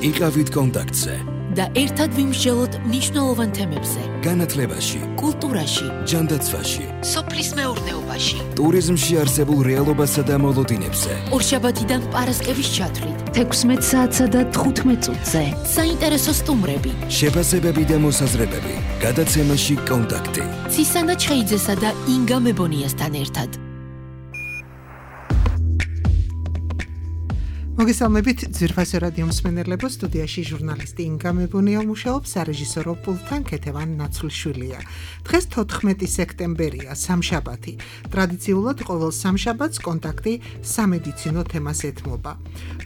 იყავით კონტაქტზე და ერთად ვიმსჯელოთ მნიშვნელოვან თემებზე. განათლებაში, კულტურაში, ჯანდაცვაში, სოფლის მეურნეობაში, ტურიზმში არსებულ რეალობასა და მოლოდინებზე. ორშაბათიდან პარასკევის ჩათვლით 16 საათსა და 15 წუთზე. საინტერესო სტუმრები, შეფასებები და მოსაზრებები. გადაცემაში კონტაქტი. ცისანა ჩხეიძესა და ინგა მებონიასთან ერთად. მოგესალმებით ძვირფასო რადიო მსმენელებო, სტუდიაში ჟურნალისტი ინგა მებონია მუშაობს, სარეჟისორო პულტთან ქეთევან ნაცვლშვილია. დღეს 14 სექტემბერია, სამშაბათი. ტრადიციულად ყოველ სამშაბათს კონტაქტი სამედიცინო თემას ეთმობა.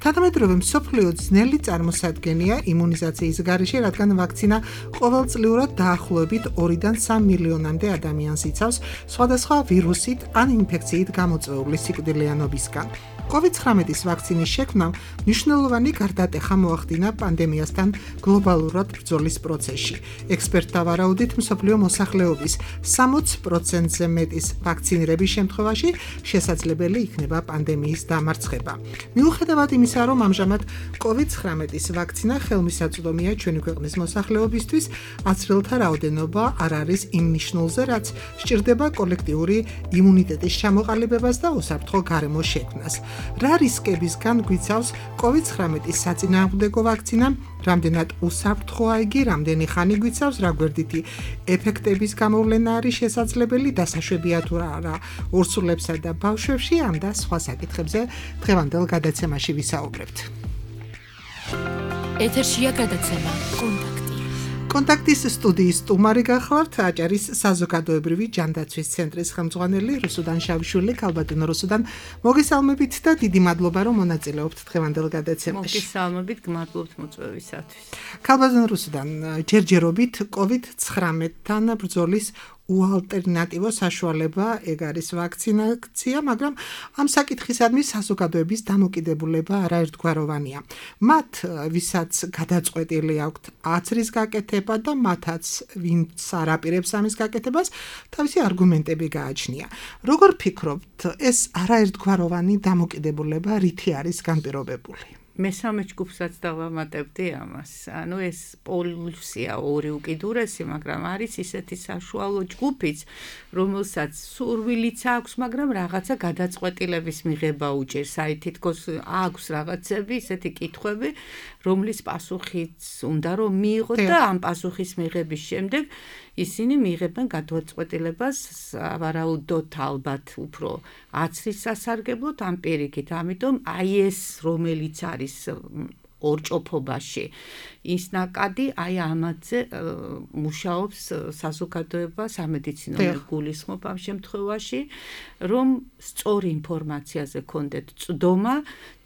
თანამედროვე მსოფლიო ძნელი წარმოსადგენია იმუნიზაციის გარეშე, რადგან ვაქცინა ყოველწლიურად დაახლოებით 2-დან 3 მილიონამდე ადამიანს იცავს სხვადასხვა ვირუსით ან ინფექციით გამოწვეული სიკვდილიანობისგან. COVID-19 ვაქცინის შექმნამ მნიშვნელოვანი გარდატეხა მოახდინა პანდემიასთან გლობალურად ბრძოლის პროცესში. ექსპერტთა ვარაუდით, მსოფლიო მოსახლეობის 60%-ზე მეტის ვაქცინირების შემთხვევაში შესაძლებელი იქნება პანდემიის დამარცხება. მიუხედავად იმისა, რომ ამჟამად COVID-19 ვაქცინა ხელმისაწვდომია ჩვენი ქვეყნის მოსახლეობისთვის, აცრელთა რაოდენობა არ არის იმ ნიშნულზე, რაც სჭირდება კოლექტიური იმუნიტეტის ჩამოყალიბებას და უსაფრთხო გარემოს შექმნას. რა რისკებისგან გვიცავს COVID-19 საწინააღმდეგო ვაქცინა, რამდენად უსაფრთხოა იგი, რამდენი ხანი გვიცავს, რა გვერდითი ეფექტების გამოვლენა არის შესაძლებელი, დასაშვებია თუ არა ორსულებსა და ბავშვებში, ამ და სხვა საკითხებზე დღევანდელ გადაცემაში ვისაუბრებთ. ეთერშია გადაცემა კონტაქტი. კონტაქტის სტუდიის სტუმარი გახლავთ აჭარის საზოგადოებრივი ჯანდაცვის ცენტრის ხელმძღვანელი რუსუდან შავიშვილი. ქალბატონო რუსუდან, მოგესალმებით და დიდი მადლობა, რომ მონაწილეობთ დღევანდელ გადაცემაში. მოგესალმებით, გმადლობთ მოწვევისათვის. ქალბატონო რუსუდან, ჯერჯერობით COVID-19-თან ბრძოლის უალტერნატივო საშუალება ეგ არის ვაქცინაცია, მაგრამ ამ საკითხისადმი საზოგადოების დამოკიდებულება არაერთგვაროვანია. მათ, ვისაც გადაწყვეტილი აქვთ აცრის გაკეთება და მათაც, ვინც არ აპირებს ამის გაკეთებას, თავისი არგუმენტები გააჩნია. როგორ ფიქრობთ, ეს არაერთგვაროვანი დამოკიდებულება რითი არის განპირობებული? მესამე ჯგუფსაც დავამატებდი ამას. ანუ ეს პოლუსია ორი უკიდურესი, მაგრამ არის ისეთი საშუალო ჯგუფიც, რომელსაც სურვილიც აქვს, მაგრამ რაღაცა გადაწყვეტილების მიღება უჭერს. აი თითქოს აქვს რაღაცები, ისეთი კითხვები, რომლის პასუხიც უნდა რომ მიიღოთ და ამ პასუხის მიღების შემდეგ ისინი მიიღებენ გადაწყვეტილებას ვარაუდოთ ალბათ უფრო აცრის სასარგებლოდ ამ პირიქით. ამიტომ აი ეს რომელიც არის ორჭოფობაში ის ნაკადი აი ამაზე მუშაობს საზოგადოება, სამედიცინო გულისხმობ ამ შემთხვევაში, რომ სწორი ინფორმაციაზე კონდეთ წვდომა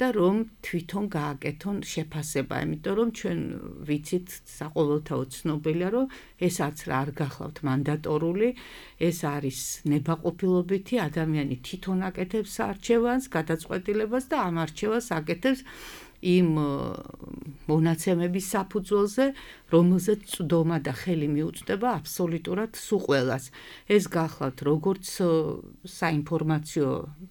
და რომ თვითონ გააკეთონ შეფასება, იმიტომ რომ ჩვენ ვიცით საყოველთაო ცნობილია, რომ ეს აცრა არ გახლავთ მანდატორული, ეს არის ნებაყოფილობითი, ადამიანი თვითონ აკეთებს არჩევანს, გადაწყვეტილებას და ამ არჩევანს აკეთებს იმ მონაცემების საფუძველზე, რომელზეც წვდომა და ხელი მიუწვდება აბსოლუტურად სულ ყველას. ეს გახლავთ როგორც საინფორმაციო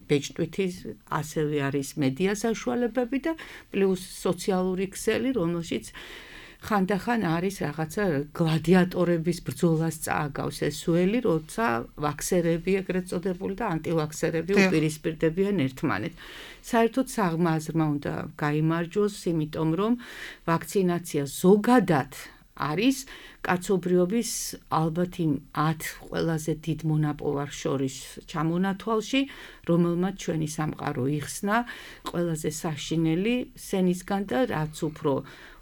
ბეჭდვითი, ასევე არის მედია საშუალებები და პლუს სოციალური ქსელი, რომელშიც ხანდახან არის რაღაცა გლადიატორების ბრძოლას წააგავს ეს ველი, როცა ვაქსერები ეგრეთ წოდებული და ანტივაქსერები უპირისპირდებიან ერთმანეთს. საერთოდ საღმაზრმა უნდა გაიმარჯვოს, იმიტომ რომ ვაქცინაცია ზოგადად არის კაცობრიობის ალბათ იმ 10 ყველაზე დიდ მონაპოვარს შორის ჩამონათვალში, რომელმაც ჩვენი სამყარო იხსნა ყველაზე საშინელი სენისგან და რაც უფრო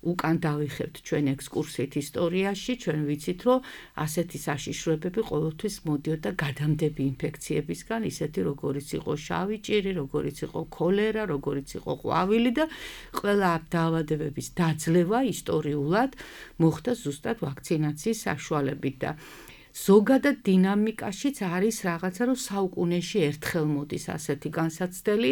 უკან დავიხებთ ჩვენ ექსკურსიით ისტორიაში, ჩვენ ვიცით, რომ ასეთი საშიშროებები ყოველთვის მოდიოდა გადამდები ინფექციებისგან, ისეთი როგორიც იყო შავი ჭირი, როგორიც იყო ქოლერა, როგორიც იყო ყვავილი და ყველა ამ დაავადებების დაძლევა ისტორიულად მოხდა ზუსტად ვაქცინაციის საშუალებით და ზოგადად დინამიკაშიც არის რაღაცა, რომ საუკუნეში ერთხელ მოდის ასეთი განსაცდელი,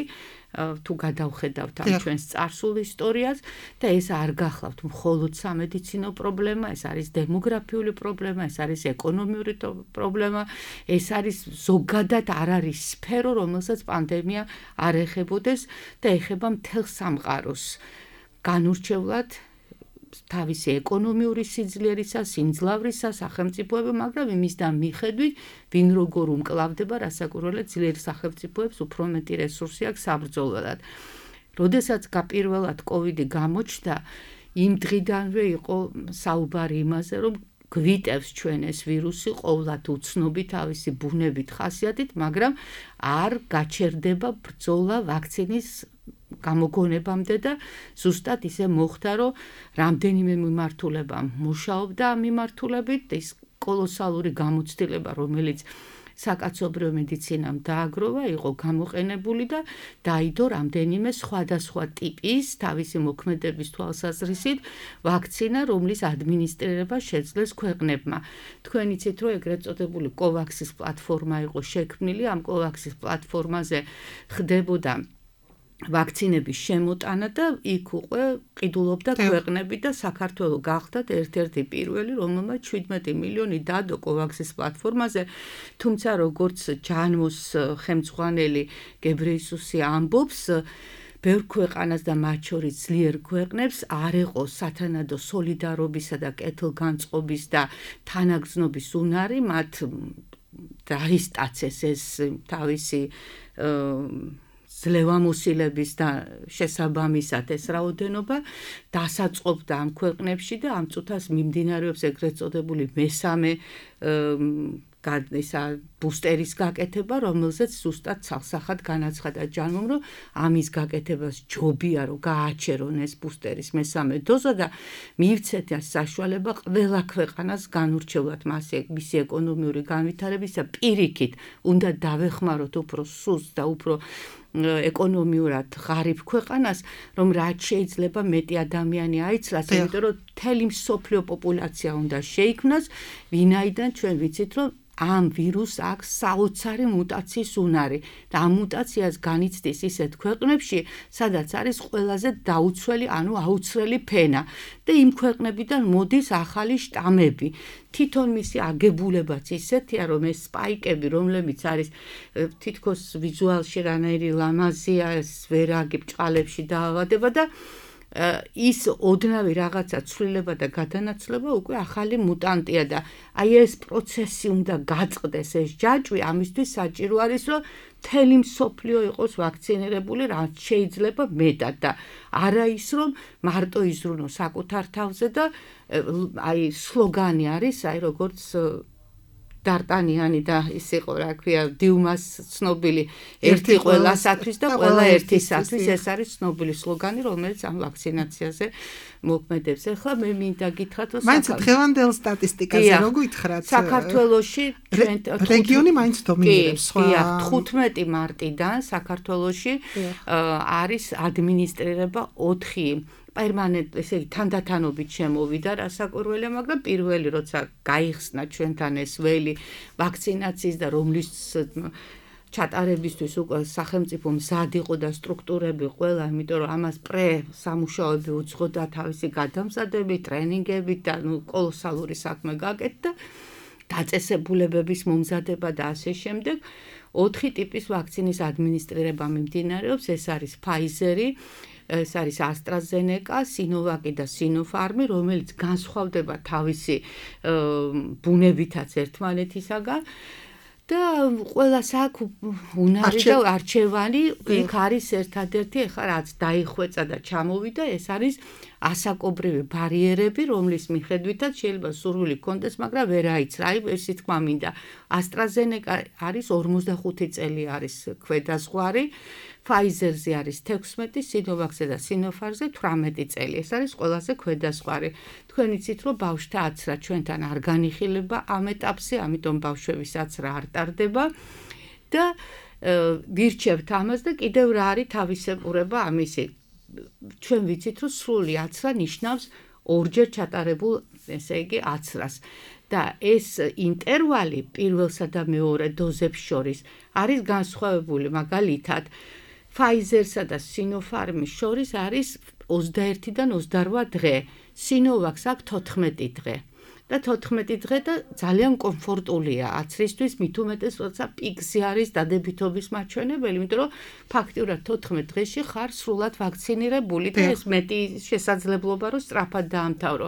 თუ გადავხედავთ ამ ჩვენს წარსულ ისტორიას და ეს არ გახლავთ მხოლოდ სამედიცინო პრობლემა, ეს არის დემოგრაფიული პრობლემა, ეს არის ეკონომიური პრობლემა, ეს არის ზოგადად არ არის სფერო, რომელსაც პანდემია არ ეხებოდეს და ეხება მთელ სამყაროს. განურჩევლად თავისი ეკონომიური სიძლიერისა, სიმძლავრისა, სახელმწიფოები, მაგრამ იმისთან მიხედვით, ვინ როგორ უმკლავდება, რასაკვირველად ძლიერ სახელმწიფოებს უფრო მეტი რესურსი აქვს საბრძოლველად. როდესაც პირველად კოვიდი გამოჩნდა, იმ დღიდანვე იყო საუბარი იმაზე, რომ გვიტევს ჩვენ ეს ვირუსი ყოვლად უცნობი თავისი ბუნებით, ხასიათით, მაგრამ არ გაჩერდება ბრძოლა ვაქცინის გამოგონებამდე და ზუსტად ისე მოხდა, რომ რამდენიმე მიმართულება მუშაობდა ამ მიმართულებით, ის კოლოსალური გამოცდილება, რომელიც საკაცობრიო მედიცინამ დააგროვა, იყო გამოყენებული და დაიდო რამდენიმე სხვადასხვა ტიპის თავისი მოქმედების თვალსაზრისით ვაქცინა, რომლის ადმინისტრირება შეძლეს ქვეყნებმა. თქვენ იცით, რომ ეგრეთ წოდებული კოვაქსის პლატფორმა იყო შექმნილი, ამ კოვაქსის პლატფორმაზე ხდებოდა ვაქცინების შემოტანა და იქ უკვე ყიდულობდა ქვეყნები და საქართველოს გახდა ერთ-ერთი პირველი, რომელმაც 17 მილიონი დადო კოვაქსის პლატფორმაზე, თუმცა როგორც ჯანმოს ხელმძღვანელი გებრიესუსი ამბობს, ბევრ ქვეყანას და მათ შორის ძლიერ ქვეყნებს არ იყო სათანადო სოლიდარობისა და კეთილგანწყობის და თანაგრძნობის უნარი, მათ დაისტაცეს ეს თავისი ძლევამოსილების და შესაბამისად ეს რაოდენობა დასაწყობდა ამ ქვეყნებში და ამ წუთას მიმდინარეობს ეგრეთ წოდებული მესამე ბუსტერის გაკეთება, რომელზეც ზუსტად ცალსახად განაცხადა ჯანმომ, რომ ამის გაკეთებას ჯობია, რომ გააჩერონ ეს ბუსტერის მესამე დოზა და მიივცეთ საშუალება ყველა ქვეყანას განურჩევლად მისი ეკონომიური განვითარებისა პირიქით უნდა დავეხმაროთ უფრო სუსტ და უფრო ეკონომიურად ღარიბ ქვეყანას, რომ რაც შეიძლება მეტი ადამიანი აიცლას, იმიტომ რომ მთელი მსოფლიო პოპულაცია უნდა შეიქმნას, ვინაიდან ჩვენ ვიცით, რომ ამ ვირუსს აქვს საოცარი მუტაციის უნარი და ამ მუტაციას განიცდის ისეთ ქვეყნებში, სადაც არის ყველაზე დაუცველი, ანუ აუცვლელი ფენა და იმ ქვეყნებიდან მოდის ახალი შტამები. თვითონ მისი აგებულებაც ისეთია, რომ ეს სპაიკები, რომლებიც არის თითქოს ვიზუალში რანაირი ლამაზია, ეს ვერაგი ბჭყალებში დაავადება და ის ოდნავი რაღაცა ცვლილება და გადანაცვლება უკვე ახალი მუტანტია და აი ეს პროცესი უნდა გაწყდეს ეს ჯაჭვი, ამისთვის საჭირო არის, რომ მთელი მსოფლიო იყოს ვაქცინირებული, რაც შეიძლება მეტად და არა ის, რომ მარტო იზრუნოს საკუთარ თავზე და აი სლოგანი არის, აი როგორც დარტანიანი და ის იყო, რა ქვია, დიუმას ცნობილი ერთი ყველასათვის და ყველა ერთისათვის, ეს არის ცნობილი სლოგანი, რომელიც ამ ვაქცინაციაზე მოქმედებს. ახლა მე მინდა გითხრათ, რომ მაინც დღევანდელ სტატისტიკაზე რო გითხრათ, საქართველოში რეგიონი მაინც დომინირებს. 15 მარტიდან საქართველოში არის ადმინისტრირება 4 პერმანენტ, ესე იგი თანდათანობით შემოვიდა რასაკვირველია, მაგრამ პირველი როცა გაიხსნა ჩვენთან ეს ველი ვაქცინაციის და რომლის ჩატარებისთვის უკვე სახელმწიფო მზად იყო და სტრუქტურები ყველა, იმიტომ რომ ამას სამუშაოები უძღოდა თავისი გადამზადებით, ტრენინგებით და კოლოსალური საქმე გაკეთდა, დაწესებულებების მომზადება და ასე შემდეგ. 4 ტიპის ვაქცინის ადმინისტრირება მიმდინარეობს, ეს არის Pfizer-ი, ეს არის AstraZeneca, Sinovac და Sinopharm, რომელიც განსხვავდება თავისი ბუნებითაც ერთმანეთისაგან და ყველას აქვს უნარი და არჩევანი, იქ არის ერთადერთი, ეხლა რაც დაიხვეწა და ჩამოვიდა, ეს არის ასაკობრივი ბარიერები, რომლის მიხედვითაც შეიძლება სურვილი გქონდეს, მაგრამ ვერ აიცრა, აი ესე თქმა მინდა. AstraZeneca არის 45 წელი არის ქვედაზღვარი, Pfizer-ზე არის 16, Sinovac-ზე და Sinopharm-ზე 18 წელი. ეს არის ყველაზე ქვედაზღვარი. თქვენ იცით, რომ ბავშვთა აცრა ჩვენთან არ განიხილება ამ ეტაპზე, ამიტომ ბავშვების აცრა არ ტარდება და ვირჩევთ ამას და კიდევ რა არის თავისებურება ამისი. ჩვენ ვიცით, რომ სრული აცრა ნიშნავს ორჯერ ჩატარებულ, ესე იგი, აცრას. და ეს ინტერვალი პირველსა და მეორე დოზებს შორის არის განსხვავებული, მაგალითად, Pfizer-სა და Sinopharm-ის შორის არის 21-დან 28 დღე, Sinovac-ს აქვს 14 დღე. და 14 დღე და ძალიან კომფორტულია აცრისთვის, მით უმეტეს როცა პიკზე არის დადებითობის მაჩვენებელი, იმიტომ რომ ფაქტიურად 14 დღეში ხარ სრულად ვაქცინირებული და ეს მეტი შესაძლებლობა რომ სწრაფად დაამთავრო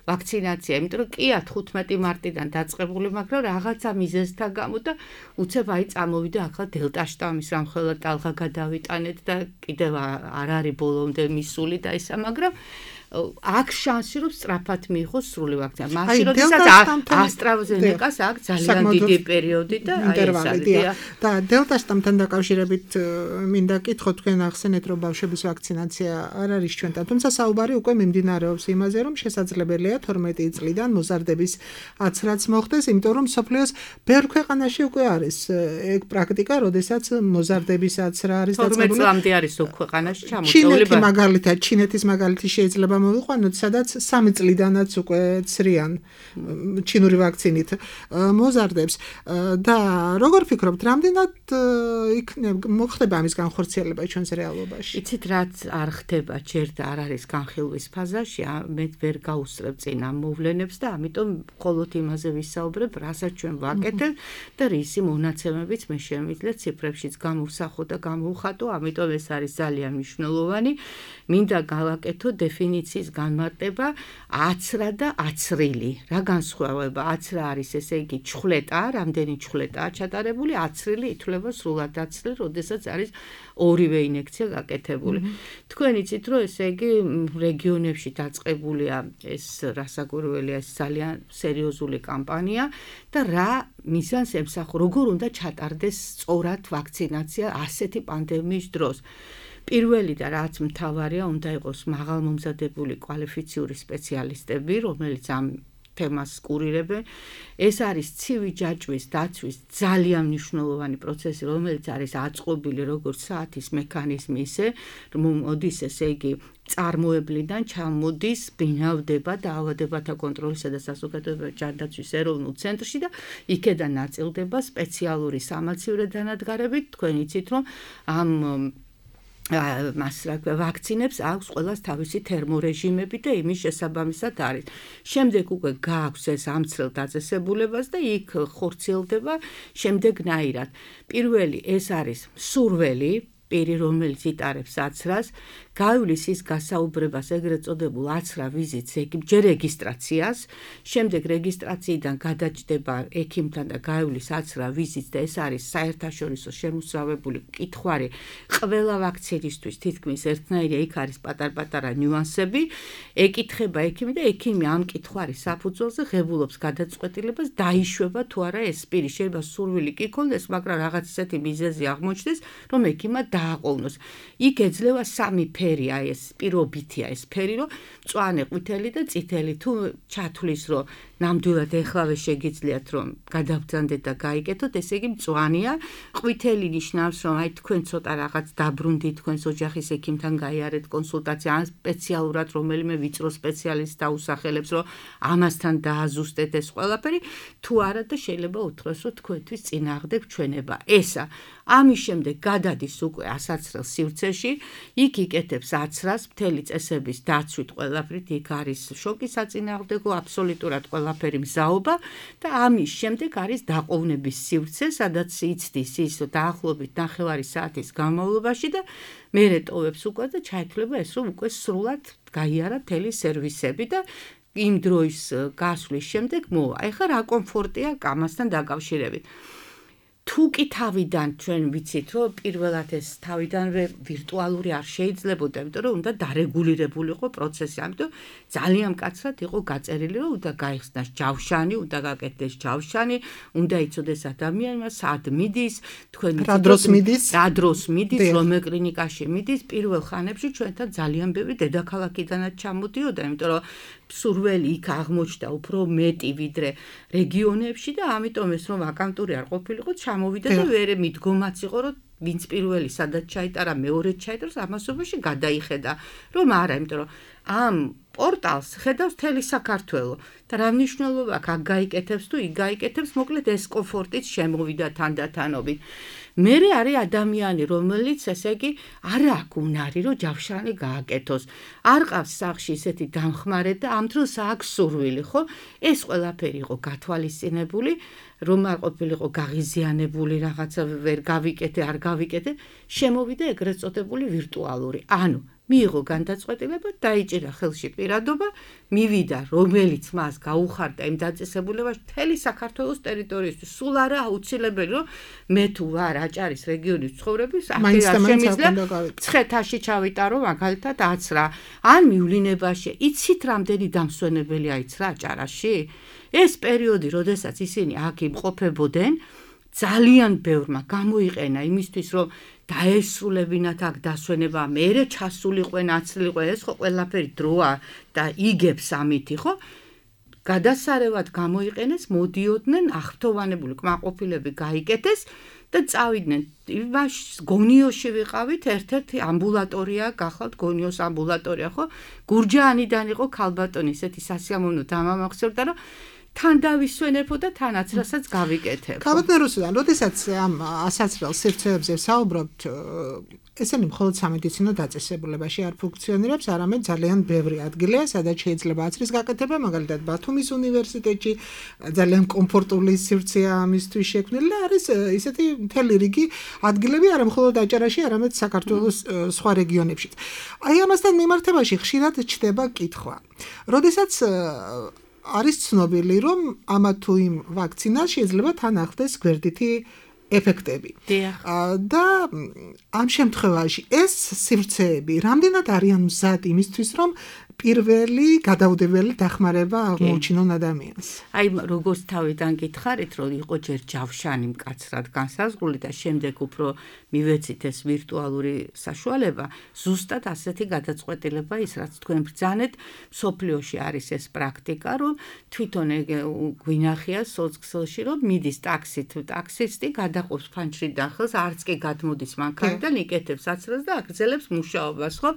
ვაქცინაცია, იმიტომ რომ კია 15 მარტიდან დაწყებული, მაგრამ რაღაცა მიზეზთა გამო და უცებ აი წამოვიდა ახლა დელტა შტამის რამხელა ტალღა გადავიტანეთ და კიდევ არ არის ბოლომდე მისული და ისა, მაგრამ აქ შანსი რომ სწრაფად მიიღოს სრული ვაქცინა. მაშინ როდესაც AstraZeneca-ს აქვს ძალიან დიდი პერიოდი და აი ეს არის. და დელტა შტამთან დაკავშირებით მინდა კითხო თქვენ ახსენეთ რომ ბავშვების ვაქცინაცია არ არის ჩვენთან, თუმცა საუბარი უკვე მიმდინარეობს იმაზე რომ შესაძლებელია 12 წლიდან მოზარდების აცრაც მოხდეს, იმიტომ რომ მსოფლიოს ბევრ ქვეყანაში უკვე არის ეგ პრაქტიკა, როდესაც მოზარდების აცრა არის დაწყებული. 12 წლამდე არის უკვე ქვეყანაში ჩამოწეული. ჩინეთი მაგალითად, ჩინეთის მაგალითი შეიძლება მოვიყვანოთ, სადაც 3 წლიდანაც უკვე ცრიან ჩინური ვაქცინით მოზარდებს და როგორ ფიქრობთ, რამდენად მოხდება ამის განხორციელება ჩვენს რეალობაში? იცით რაც არ ხდება ჯერ და არ არის განხილვის ფაზაში, მე ვერ გაუსწრებ წინ ამ მოვლენებს და ამიტომ მხოლოდ იმაზე ვისაუბრებ, რასაც ჩვენ ვაკეთებთ და რისი მონაცემებიც მე შემიძლია ციფრებშიც გამოვსახო და გამოვხატო, ამიტომ ეს არის ძალიან მნიშვნელოვანი. მინდა გავაკეთო დეფინიციის განმარტება აცრა და აცრილი. რა განსხვავება? აცრა არის ესე იგი ჩხვლეტა, რამდენი ჩხვლეტაა ჩატარებული, აცრილი ითვლება სრულად აცრილი, როდესაც არის ორივე ინექცია გაკეთებული. თქვენ იცით რომ ესე იგი რეგიონებში დაწყებულია ეს რასაკვირველია, ეს ძალიან სერიოზული კამპანია და რა მიზანს ემსახურება, როგორ უნდა ჩატარდეს სწორად ვაქცინაცია ასეთი პანდემიის დროს. პირველი და რაც მთავარია, უნდა იყოს მაღალმომზადებული კვალიფიციური სპეციალისტები, რომელიც ამ თემას კურირებენ. ეს არის ცივი ჯაჭვის დაცვის ძალიან მნიშვნელოვანი პროცესი, რომელიც არის აწყობილი როგორც საათის მექანიზმი, ისე მოდის ესე იგი წარმოებლიდან ჩამოდის ბინავდება დაავადებათა კონტროლისა და სასუქებლობათა ჯანდაცვის ეროვნულ ცენტრში და იქედან ნაწილდება სპეციალური სამაცივრო დანადგარებით. თქვენ იცით რომ ამ ვაქცინებს აქვს ყველას თავისი თერმორეჟიმები და იმის შესაბამისად არის. შემდეგ უკვე გააქვს ეს ამცრელ დაწესებულებას და იქ ხორციელდება შემდეგნაირად. პირველი ეს არის სურველი, პირი რომელიც იტარებს აცრას, გაივლის ის გასაუბრებას ეგრეთ წოდებულ აცრა ვიზიტს, ჯერ რეგისტრაციას, შემდეგ რეგისტრაციიდან გადაჭდება ექიმთან და გაივლის აცრა ვიზიტს და ეს არის საერთაშორისო შემოსავებული კითხვარი ყველა ვაქცინისთვის, თითქმის ერთნაირია, იქ არის პატარ-პატარა ნიუანსები, ეკითხება ექიმი და ექიმი ამ კითხვარის საფუძველზე ღებულობს გადაწყვეტილებას, დაიშვება თუ არა ეს პირი, შეიძლება სურვილი კი ქონდეს, მაგრამ რაღაც ისეთი მიზეზი აღმოჩნდეს, რომ ექიმმა დააყოვნოს. იქ ეძლევა სამი ფერია ეს, პირობითია ეს ფერი, რომ მწვანე, ყვითელი და წითელი, თუ ჩათვლის, რომ ნამდვილად ეხლავე შეგიძლიათ რომ გადავბრძანდეთ და გაიკეთოთ, ესე იგი მწვანეა, ყვითელი ნიშნავს, რომ აი თქვენ ცოტა რაღაც დაბრუნდით, თქვენს ოჯახის ექიმთან გაიარეთ კონსულტაცია, ან სპეციალურად რომელიმე ვიწრო სპეციალისტს დაუსახელებს, რომ ამასთან დააზუსტეთ ეს ყველაფერი, თუ არა და შეიძლება უთხროს, რომ თქვენთვის წინააღმდეგ ჩვენება. ესა ამის შემდეგ გადადის უკვე ასაცრელ სივრცეში, იქ იკეთებს აცრას, მთელი წესების დაცვით ყველაფრით, იქ არის შოკის საწინააღმდეგო, აბსოლუტურად ყველაფერი მზაობა და ამის შემდეგ არის დაყოვნების სივრცე, სადაც იცდის ის დაახლოებით 9 საათის განმავლობაში და მერე ტოვებს უკვე და ჩაითვლება ეს, რომ უკვე სრულად გაიარა მთელი სერვისები და იმ დროის გასვლის შემდეგ მოვა. ეხლა რა კომფორტია ამასთან დაკავშირებით? თუ კი თავიდან ჩვენ ვიცით, რომ პირველად ეს თავიდანვე ვირტუალური არ შეიძლებოდა, იმიტომ რომ უნდა დარეგულირებული იყო პროცესი, ამიტომ ძალიან მკაცრად იყო გაწერილი, რომ უნდა გაიხსნას ჯავშანი, უნდა გაკეთდეს ჯავშანი, უნდა იცოდეს ადამიანმა სად მიდის, თქვენ რა დროს მიდის, რომელ კლინიკაში მიდის. პირველ ხანებში ჩვენთან ძალიან ბევრი დედაქალაქიდანაც ჩამოდიოდა, იმიტომ რომ სურველი იქ აღმოჩნდა უფრო მეტი ვიდრე რეგიონებში და ამიტომ ეს რომ ვაკანტური არ ყოფილიყო, ჩამოვიდა და ვერე მიდგომაც იყო, რომ ვინც პირველი სადაც ჩაიტარა, მეორედ ჩაიტარს, ამასობაში გადაიხედა, რომ არა, იმიტომ რომ ამ პორტალს ხედავს მთელი საქართველო და რა მნიშვნელობა აქვს, აქ გაიკეთებს თუ იქ გაიკეთებს, მოკლედ ეს კომფორტით შემოვიდა თანდათანობით. მერე არის ადამიანი, რომელიც ესე იგი არ აქვს უნარი, რომ ჯავშანი გააკეთოს. არ ყავს სახლში ისეთი დამხმარე და ამ დროს აქვს სურვილი, ხო? ეს ყველაფერი იყო გათვალისწინებული, რომ არ ყოფილიყო გაღიზიანებული რაღაცა ვერ გავიკეთე, არ გავიკეთე, შემოვიდა ეგრეთ წოდებული ვირტუალური. ანუ მიიღო განდაწყვეტილება, დაიჭირა ხელში პირადობა, მივიდა, რომელიც მას გაუხარდა იმ დაწესებულებაში მთელი საქართველოს ტერიტორიისთვის. სულ არა აუცილებელი, რომ მე თუ ვარ აჭარის რეგიონის ცხოვრების, აქ შემიძლია მცხეთაში ჩავიტარო მაგალითად 10 რა. ან მივლინებაში, იცით რამდენი დამსვენებელი აიცრა აჭარაში? ეს პერიოდი, როდესაც ისინი აქ იმყოფებოდნენ, ძალიან ბევრმა გამოიყენა იმისთვის, რომ დაესრულებინათ აქ დასვენება, მერე ჩასულიყვენ, აცლიყვენ, ეს ხო ყველაფერი დროა და იგებს ამითი, ხო? გადასარევად გამოიყენეს, მოდიოდნენ, აღფრთოვანებული კმაყოფილები გაიკეთეს და წავიდნენ. იმაში გონიოში ვიყავით, ერთ-ერთი ამბულატორია, გახლავთ გონიოს ამბულატორია, ხო? გურჯაანიდან იყო ქალბატონი, ესეთი სასიამოვნო დამამახსოვრდა, რომ თან დავისვენებო და თანაც რასაც გავიკეთებ. ქალბატონ რუსუდან, როდესაც ამ ასაცრელ სივრცეებზე საუბრობთ, ესენი მხოლოდ სამედიცინო დაწესებულებაში არ ფუნქციონირებს, არამედ ძალიან ბევრი ადგილია, სადაც შეიძლება აცრის გაკეთება, მაგალითად ბათუმის უნივერსიტეტში ძალიან კომფორტული სივრცეა ამისთვის შექმნილი და არის ისეთი მთელი რიგი ადგილები, არა მხოლოდ აჭარაში, არამედ საქართველოს სხვა რეგიონებშიც. აი ამასთან მიმართებაში ხშირად ჩდება კითხვა. როდესაც არის ცნობილი, რომ ამა თუ იმ ვაქცინას შეიძლება თან ახდეს გვერდითი ეფექტები. და ამ შემთხვევაში ეს სივრცეები რამდენად არიან მზად იმისთვის, რომ პირველი გადაუდებელი დახმარება აღმოუჩინონ ადამიანს. აი, როგორც თავიდან გითხარით, რომ იყო ჯერ ჯავშანი მკაცრად განსაზღვრული და შემდეგ უფრო მივეცით ეს ვირტუალური საშუალება, ზუსტად ასეთი გადაწყვეტილება ის, რაც თქვენ ბრძანეთ, მსოფლიოში არის ეს პრაქტიკა, რომ თვითონ გვინახია სოციქსელში, რომ მიდის ტაქსით, ტაქსისტი გადაყობს ფანჯრიდან ხელს, არც კი გადმოდის მანქანიდან, იკეთებს აცრას და აგრძელებს მუშაობას, ხო?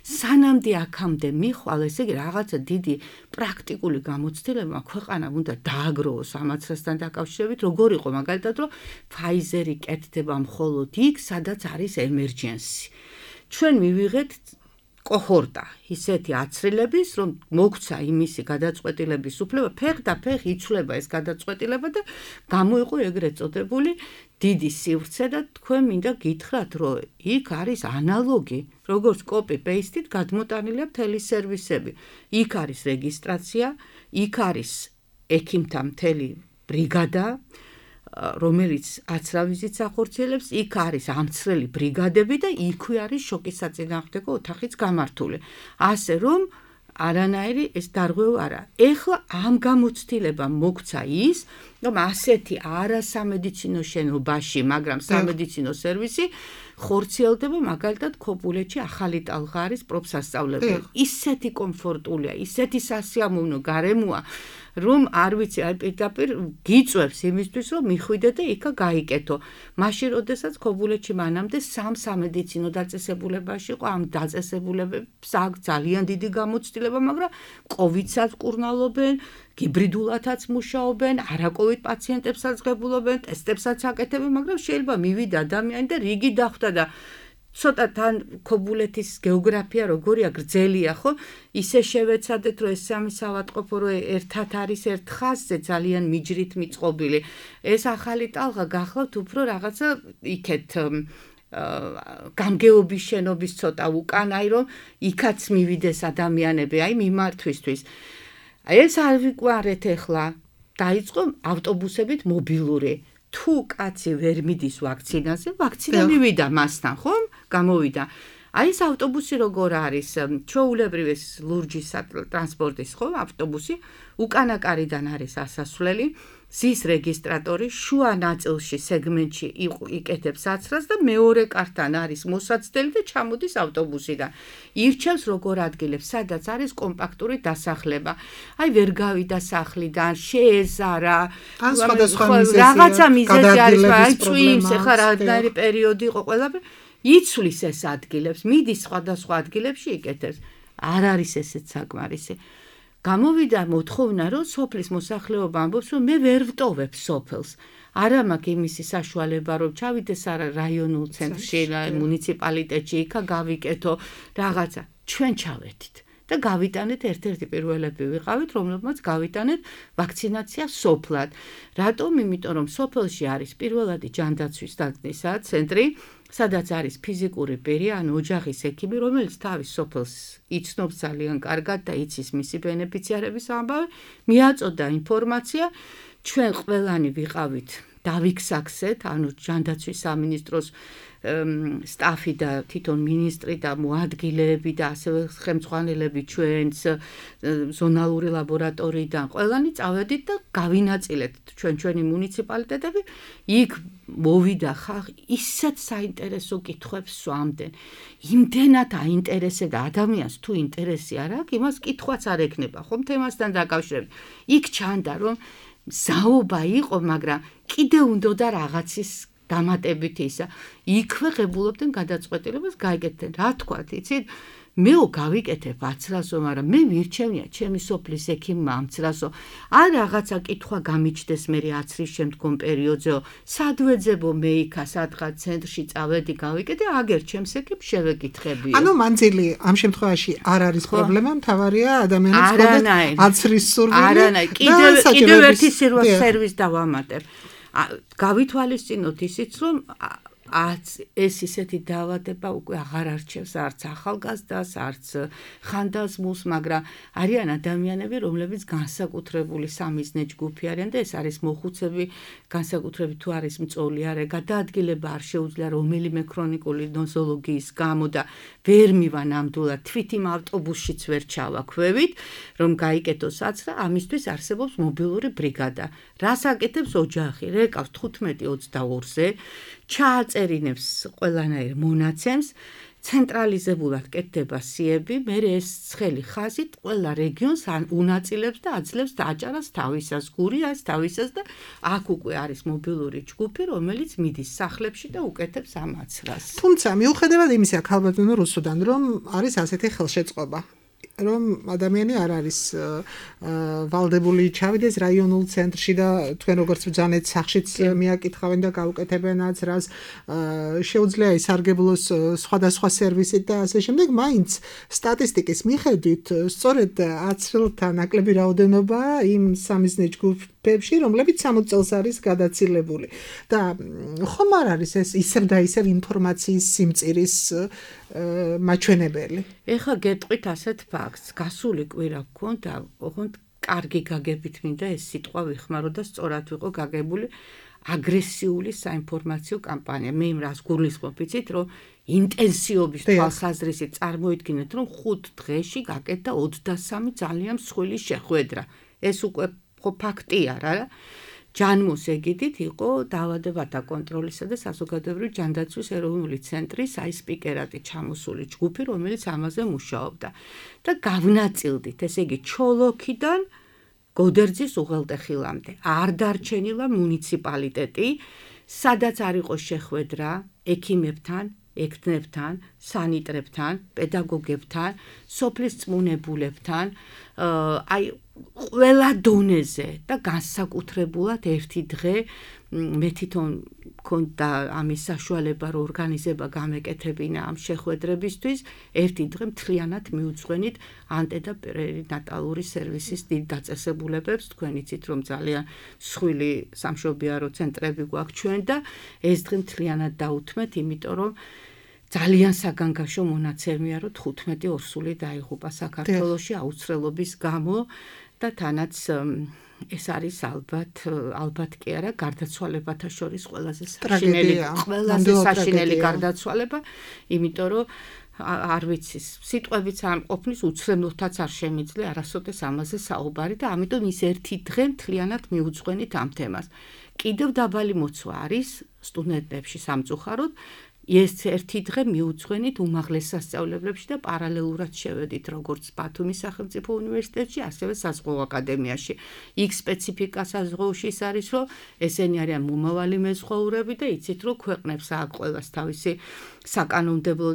სანამდე აქამდე ხვალ ესე იგი რაღაცა დიდი პრაქტიკული გამოცდილება ქვეყანამ უნდა დააგროვოს ამ აცრასთან დაკავშირებით, როგორ იყო მაგალითად, რომ Pfizer-ი კეთდება მხოლოდ იქ, სადაც არის emergency. ჩვენ მივიღეთ კოჰორტა ისეთი აცრილების, რომ მოგცა იმისი გადაწყვეტილების უფლება, ფეხ და ფეხ იცვლება ეს გადაწყვეტილება და გამოიყო ეგრეთ წოდებული დიდი სივრცე და თქვენ მინდა გითხრათ, რომ იქ არის ანალოგი, როგორც copy-paste-ით გადმოტანილია მთელი სერვისები. იქ არის რეგისტრაცია, იქ არის ექიმთა მთელი ბრიგადა, რომელიც აცრავიზით ახორციელებს, იქ არის ამცრელი ბრიგადები და იქვე არის შოკის საწინააღმდეგო ოთახიც გამართული. ასე რომ არანაირი ეს დარღვევა არა. ეხლა ამ გამოცდილებამ მოგცა ის, რომ ასეთი არასამედიცინო შენობაში, მაგრამ სამედიცინო სერვისი ხორციელდება მაგალითად ქობულეთში ახალი ტალღა არის პროფსასწავლებელი. ისეთი კომფორტულია, ისეთი სასიამოვნო გარემოა, რომ არ ვიცი, აი პირდაპირ გიწევს იმისთვის, რომ მიხვიდე და იქა გაიკეთო. მაშინ, როდესაც ქობულეთში მანამდე სამედიცინო დაწესებულებაში იყო, ამ დაწესებულებებს აქვს ძალიან დიდი გამოცდილება, მაგრამ კოვიდსაც კურნალობენ, ჰიბრიდულათაც მუშაობენ, არაკოვიდ პაციენტებსაც ღებულობენ, ტესტებსაც აკეთებენ, მაგრამ შეიძლება მივიდა ადამიანი და რიგი დახვდა და ცოტა თან ქობულეთის გეოგრაფია როგორია გრძელია, ხო? ისე შევეცადეთ, რომ ეს სამი საავადმყოფო რო ერთად არის ერთ ხაზზე ძალიან მიჯრით მიწყობილი. ეს ახალი ტალღა გახლავთ უფრო რაღაცა იქეთ გამგეობის შენობის ცოტა უკან, აი რომ იქაც მივიდეს ადამიანები, აი მიმართვისთვის. ეს არ ვიკვარეთ ახლა, დაიწყო ავტობუსებით მობილური. თუ კაცი ვერ მიდის ვაქცინაზე, ვაქცინა მივიდა მასთან, ხომ? გამოვიდა. აი ეს ავტობუსი როგორ არის, ჩვეულებრივ ეს ლურჯი ტრანსპორტის, ხო, ავტობუსი, უკანა კარიდან არის ასასვლელი, ზის რეგისტრატორი, შუა ნაწილში სეგმენტში იკეთებს აცრას და მეორე კართან არის მოსაცდელი და ჩამოდის ავტობუსიდან. ირჩევს როგორ ადგილებს, სადაც არის კომპაქტური დასახლება. აი ვერ გავიდა სახლიდან, შეეზარა, რაღაცა მიზეზი არის, აი წვიმს, ეხლა რაღაცნაირი პერიოდი იყო ყველაფერი. იცვლის ეს ადგილებს, მიდის სხვადასხვა ადგილებში იკეთებს. არ არის ესეც საკმარისი. გამოვიდა მოთხოვნა, რომ სოფლის მოსახლეობა ამბობს, რომ მე ვერ ვტოვებ სოფელს. არა მაქვს იმისი საშუალება, რომ ჩავიდეს რაიონულ ცენტრში, მუნიციპალიტეტში, იქა გავიკეთო რაღაცა. ჩვენ ჩავედით და გავიტანეთ ერთ-ერთი პირველები ვიყავით, რომლებმაც გავიტანეთ ვაქცინაცია სოფლად. რატომ? იმიტომ რომ სოფელში არის პირველადი ჯანდაცვის დაგნისა ცენტრი, სადაც არის ფიზიკური პირი, ანუ ოჯახის ექიმი, რომელიც თავის სოფელს იცნობს ძალიან კარგად და იცის მისი ბენეფიციარების ამბავი, მიაწოდა ინფორმაცია, ჩვენ ყველანი ვიყავით დავიქსაქსეთ, ანუ ჯანდაცვის სამინისტროს სტაფი და თვითონ მინისტრი და მოადგილეები და ასევე ხელმძღვანელები ჩვენს ზონალური ლაბორატორიიდან ყველანი წავედით და გავინაწილეთ ჩვენი მუნიციპალიტეტები. იქ მოვიდა ხალხი ისეთ საინტერესო კითხვებს სვამდნენ. იმდენად აინტერესებდა ადამიანს თუ ინტერესი არ აქვს, იმას კითხვაც არ ექნება, ხომ თემასთან დაკავშირებით. იქ ჩანდა რომ საუბა იყო, მაგრამ კიდე უნდოდა რაღაცის დამატებით ისა. იქვე ღებულობდნენ გადაწყვეტილებას, გაიგეთდნენ. რა თქვათ, იცით? მეო გავიკეთებ 10-რასო, მაგრამ მე მირჩევნია ჩემი სოფლის ექიმმა ამცრასო. არ რაღაცა კითხვა გამიჩნდეს მე 10-რის შემდგომ პერიოდზეო. სად ვეძებო მე იქა სადღაც ცენტრში წავედი გავიკეთე, აგერ ჩემს ექიმს შევეკითხებიო. ანუ მანძილი ამ შემთხვევაში არ არის პრობლემა, მთავარია ადამიანებს ჰქონდეთ 10-რის სურვილი. არანაირი. კიდევ ერთი სერვისს დავამატებ. გავითვალისწინოთ ისიც, რომ ეს ისეთი დაავადება უკვე აღარ არჩევს არც ახალგაზრდას, არც ხანდაზმულს, მაგრამ არიან ადამიანები, რომლებიც განსაკუთრებული სამიზნე ჯგუფი არიან და ეს არის მოხუცები, განსაკუთრებით თუ არის მწოლი არე, გადაადგილება არ შეუძლია რომელიმე ქრონიკული ნოზოლოგიის გამო და ვერ მივა ნამდვილად, თვით იმ ავტობუსშიც ვერ ჩავაქვევით, რომ გაიკეთოს საცრა, ამისთვის არსებობს მობილური ბრიგადა. რას აკეთებს ოჯახი? რეკავს 15-22-ზე, ჩააწერინებს ყველანაირ მონაცემს, ცენტრალიზებულად კეთდება სიები, მერე ეს ცხელი ხაზით ყველა რეგიონს უნაწილებს და აძლევს დააჭარას თავისას, გურიას თავისას და აქ უკვე არის მობილური ჯგუფი, რომელიც მიდის სახლებში და უკეთებს ამ აცრას. თუმცა მიუხედავად იმისა, ქალბატონო რუსუდან, რომ არის ასეთი ხელშეწყობა, რომ ადამიანი არ არის ვალდებული ჩავიდეს რაიონულ ცენტრში და თქვენ როგორც ბრძანეთ სახშიც მიაკითხავენ და გაუკეთებენ აცრას, შეუძლია ისარგებლოს სხვადასხვა სერვისით და ასე შემდეგ, მაინც სტატისტიკის მიხედვით სწორედ აცრელთა ნაკლები რაოდენობა იმ სამიზნე ჯგუფებში, რომლებიც 60 წელს არის გადაცილებული. და ხომ არ არის ეს ისევ და ისევ ინფორმაციის სიმწირის მაჩვენებელი? ეხლა გეტყვით ასეთ ფაქტს, გასული კვირა გქონდა, ოღონდ კარგი გაგებით მინდა ეს სიტყვა ვიხმარო და სწორად ვიყო გაგებული აგრესიული საინფორმაციო კამპანია. მე იმ რას გულისხმობ, იცით, რომ ინტენსივობის თვალსაზრისით წარმოიდგინეთ, რომ 5 დღეში გაკეთდა 23 ძალიან მსხვილი შეხვედრა. ეს უკვე ფაქტია რა. ჯანმოს ეგიდით იყო დაავადებათა კონტროლისა და საზოგადოებრივი ჯანდაცვის ეროვნული ცენტრის სპიკერატი ჩამოსული ჯგუფი, რომელიც ამაზე მუშაობდა. და გავნაწილდით, ესე იგი ჩოლოქიდან გოდერძის უღელტეხილამდე. არ დარჩენილა მუნიციპალიტეტი, სადაც არ იყო შეხვედრა ექიმებთან, ექთნებთან, სანიტრებთან, პედაგოგებთან, სოფლის წმუნებულებთან, აი ყველა დონეზე და განსაკუთრებულად ერთი დღე მე თვითონ მქონდა ამის საშუალება, რომ ორგანიზება გამეკეთებინა ამ შეხვედრებისთვის, ერთი დღე მთლიანად მიუძღვენით ანტე და პერინატალური სერვისის დიდ დაწესებულებებს, თქვენ იცით, რომ ძალიან მსხვილი სამშობიარო ცენტრები გვაქვს ჩვენ და ეს დღე მთლიანად დაუთმეთ, იმიტომ რომ ძალიან საგანგაშო მონაცემია, რომ 15 ორსული დაიღუპა საქართველოში აუცილებლობის გამო და თანაც ეს არის ალბათ კი არა გარდაცვალებათა შორის ყველაზე საშინელი გარდაცვალება, იმიტომ რომ არ ვიცი, სიტყვებიც არ ყოფნის უცრემლოთაც არ შემიძლია არასოდეს ამაზე საუბარი და ამიტომ ის ერთი დღე მთლიანად მიუძღვენით ამ თემას. კიდევ დაბალი მოცვა არის სტუდენტებში სამწუხაროდ, ეს ერთი დღე მიუძღვენით უმაღლეს სასწავლებლებში და პარალელურად შევედით როგორც ბათუმის სახელმწიფო უნივერსიტეტში, ასევე საზღვაო აკადემიაში. იქ სპეციფიკა საზღვაოში ის არის, რომ ესენი არიან მომავალი მეზღვაურები და იცით, რომ ქვეყნებს აქვს ყველას თავისი საკანონმდებლო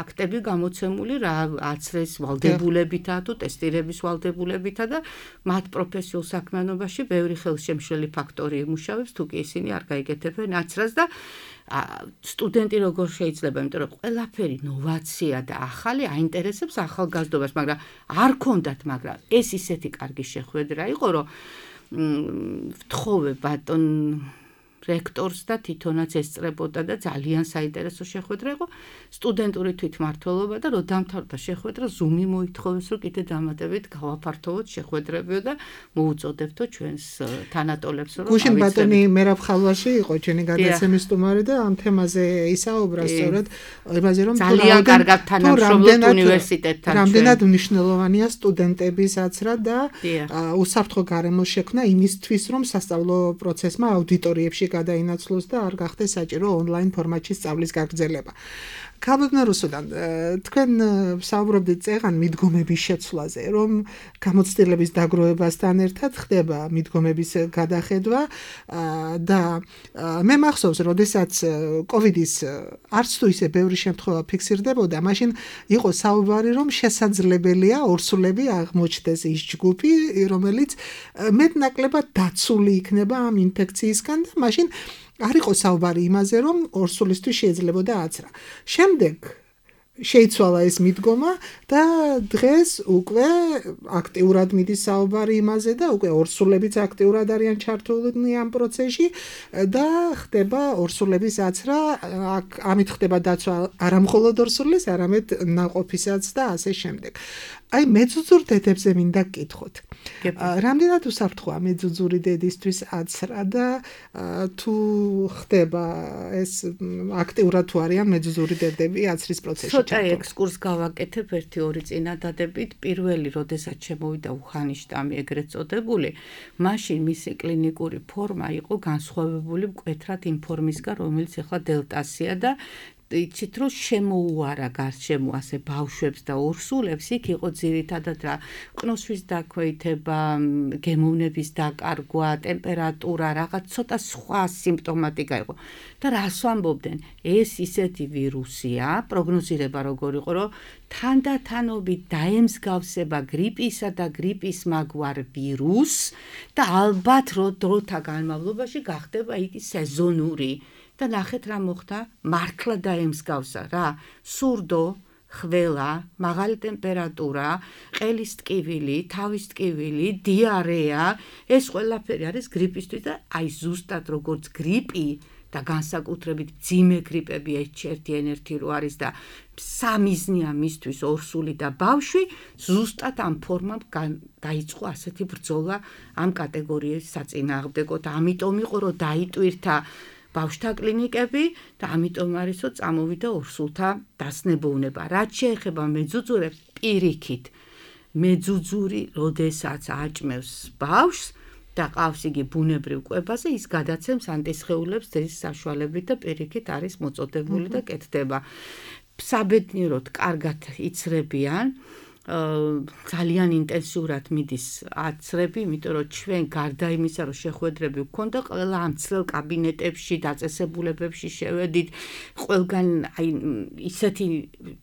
აქტები გამოცემული რა აცრეს ვალდებულებითა თუ ტესტირების ვალდებულებითა და მათ პროფესიულ საქმიანობაში ბევრი ხელშემშლელი ფაქტორი იმუშავებს, თუ კი ისინი არ გაიგეთებენ აცრას და სტუდენტი როგორ შეიძლება, იმიტომ რომ ყველაფერი ნოვაცია და ახალი აინტერესებს ახალგაზრდობას, მაგრამ არ ქონდათ, მაგრამ ეს ისეთი კარგი შეხვედრა იყო, რომ ვთხოვე ბატონ რექტორს და თვითონაც ესწრებოდა და ძალიან საინტერესო შეხვედრა იყო სტუდენტური თვითმმართველობა და რომ დამთავრდა შეხვედრა ზუმი მოითხოვეს რომ კიდე დამატებით გავაფართოვოთ შეხვედრებიო და მოუწოდებთო ჩვენს თანატოლებს რომ გუშინ ბატონი მერაბ ხალვაში იყო ჩვენი გადაცემის სტუმარი და ამ თემაზე ისაუბრა სწორედ იმაზე რომ ძალიან კარგად თანამშრომლობთ უნივერსიტეტთან რამდენად მნიშვნელოვანია სტუდენტების აცრა და უსაფრთხო გარემოს შექმნა იმისთვის რომ სასწავლო პროცესმა აუდიტორიებში გადაინაცვლოს და არ გახდეს საჭირო ონლაინ ფორმატში სწავლის გაგრძელება. ქალბატონ რუსუდან, თქვენ საუბრობდით წეღან მიდგომების შეცვლაზე, რომ გამოცდილების დაგროვებასთან ერთად ხდება მიდგომების გადახედვა და მე მახსოვს, როდესაც კოვიდის არც თუ ისე ბევრი შემთხვევა ფიქსირდებოდა, მაშინ იყო საუბარი, რომ შესაძლებელია ორსულები აღმოჩნდეს ის ჯგუფი, რომელიც მეტნაკლებად დაცული იქნება ამ ინფექციისგან და მაშინ არ იყო საუბარი იმაზე, რომ ორსულისთვის შეიძლებოდა აცრა. შემდეგ შეიცვალა ეს მიდგომა და დღეს უკვე აქტიურად მიდის საუბარი იმაზე და უკვე ორსულებიც აქტიურად არიან ჩართულნი ამ პროცესში და ხდება ორსულების აცრა, ამით ხდება დაცვა არა მხოლოდ ორსულის, არამედ ნაყოფისაც და ასე შემდეგ. აი მეძუძურ დედებზე მინდა გკითხოთ. რამდენად უსაფრთხოა მეძუძური დედისთვის აცრა და თუ ხდება ეს აქტიურად თუ არიან მეძუძური დედები აცრის პროცესში? ცოტა ექსკურს გავაკეთებ 1-2 წინადადებით. პირველი, როდესაც შემოვიდა უხანის შტამი ეგრეთ წოდებული, მაშინ მისი კლინიკური ფორმა იყო განსხვავებული მკვეთრად იმ ფორმისგან, რომელიც ახლა დელტასია და იცით რომ შემოუარა გარშემო ასე ბავშვებს და ორსულებს, იქ იყო ძირითადად რა ყნოსვის დაქვეითება, გემოვნების დაკარგვა, ტემპერატურა, რაღაც ცოტა სხვა სიმპტომატიკა იყო. და რას ვამბობდნენ? ეს ისეთი ვირუსია, პროგნოზირება როგორ იყო, რომ თანდათანობით დაემსგავსება გრიპისა და გრიპის მაგვარ ვირუსს და ალბათ დროთა განმავლობაში გახდება იგი სეზონური. და ნახეთ რა მოხდა, მართლა დაემსგავსა რა, სურდო, ხველა, მაღალი ტემპერატურა, ყელის ტკივილი, თავის ტკივილი, დიარეა, ეს ყველაფერი არის გრიპისთვის და აი ზუსტად როგორც გრიპი და განსაკუთრებით მძიმე გრიპები H1N1 რო არის და სამიზნეა მისთვის ორსული და ბავშვი, ზუსტად ამ ფორმამ დაიწყო ასეთი ბრძოლა ამ კატეგორიის საწინააღმდეგოდ. ამიტომ იყო რომ დაიტვირთა ბავშვთა კლინიკები და ამიტომ არის რომ წამოვიდა ორსულთა დასნებოვნება. რაც შეეხება მეძუძურებს, პირიქით მეძუძური როდესაც აჭმევს ბავშვს და ყავს იგი ბუნებრივ კვებაზე, ის გადაცემს ანტისხეულებს ძის საშუალებით და პირიქით არის მოწოდებული და კეთდება. საბედნიეროდ კარგად იცრებიან. ძალიან ინტენსიურად მიდის აცრები, იმიტომ რომ ჩვენ გარდა იმისა, რომ შეხვედრები გვქონდა, ყველა ამ ცრელ კაბინეტებში, დაწესებულებებში შევედით, ყველგან აი ისეთი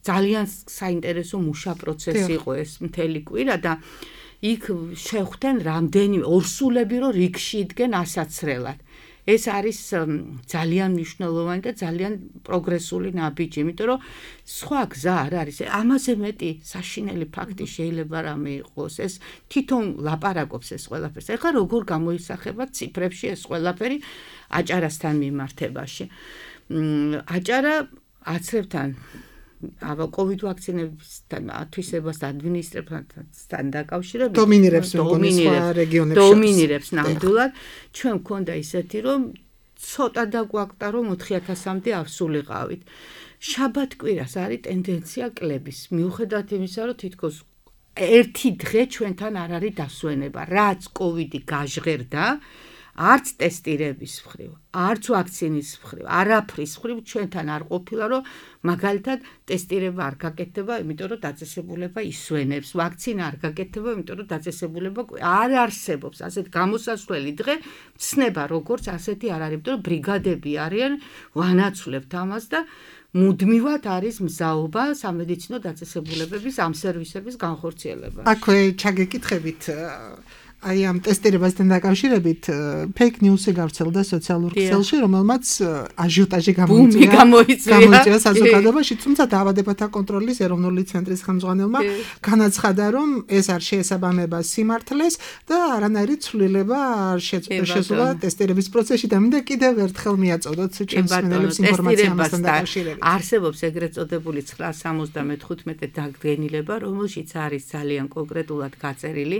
ძალიან საინტერესო მუშა პროცესი იყო ეს მთელი კვირა და იქ შეხვდნენ რამდენი ორსულები, რომ რიგში იდგენ ასაცრელად. ეს არის ძალიან მნიშვნელოვანი და ძალიან პროგრესული ნაბიჯი, იმიტომ რომ სხვა გზა არ არის. ამაზე მეტი საშინელი ფაქტი შეიძლება რამე იყოს. ეს თვითონ ლაპარაკობს ეს ყველაფერს. ეხლა როგორ გამოისახება ციფრებში ეს ყველაფერი აჭარასთან მიმართებაში. აჭარა აცრებთან COVID ვაქცინებისთან ათვისებასთან ადმინისტრაციასთან დაკავშირებით დომინირებს ნამდვილად. ჩვენ მქონდა ისეთი, რომ ცოტა დაგვაკტა, რომ 4000-მდე ავსულიყავით. შაბათ-კვირას არის ტენდენცია კლების. მიუხედავად იმისა, რომ თითქოს ერთი დღე ჩვენთან არ არის დასვენება. რაც COVID გაჟღერდა, არც ტესტირების მხრივ, არც ვაქცინის მხრივ, არაფრის მხრივ ჩვენთან არ ყოფილა, რომ მაგალითად ტესტირება არ გაკეთდება, იმიტომ რომ დაწესებულება ისვენებს, ვაქცინა არ გაკეთდება, იმიტომ რომ დაწესებულება არ არსებობს. ასეთ გამოსასვლელი დღე ცნება როგორც ასეთი არ არის, იმიტომ რომ ბრიგადები არიან, ვანაცვლებთ ამას და მუდმივად არის მზაობა სამედიცინო დაწესებულებების ამ სერვისების განხორციელება. აქვე ჩაგეკითხებით აი ამ ტესტირებასთან დაკავშირებით ფეიქ ნიუსი გავრცელდა სოციალურ ქსელში, რომელმაც აჟიოტაჟი გამოიწვია საზოგადოებაში, თუმცა დაავადებათა კონტროლის ეროვნული ცენტრის ხელმძღვანელმა განაცხადა, რომ ეს არ შეესაბამება სიმართლეს და არანაირი ცვლილება არ შესულა ტესტირების პროცესში და მინდა კიდევ ერთხელ მიაწოდოთ ჩემს მსმენელებს ინფორმაცია ამასთან დაკავშირებით. არსებობს ეგრეთ წოდებული 975 დადგენილება, რომელშიც არის ძალიან კონკრეტულად გაწერილი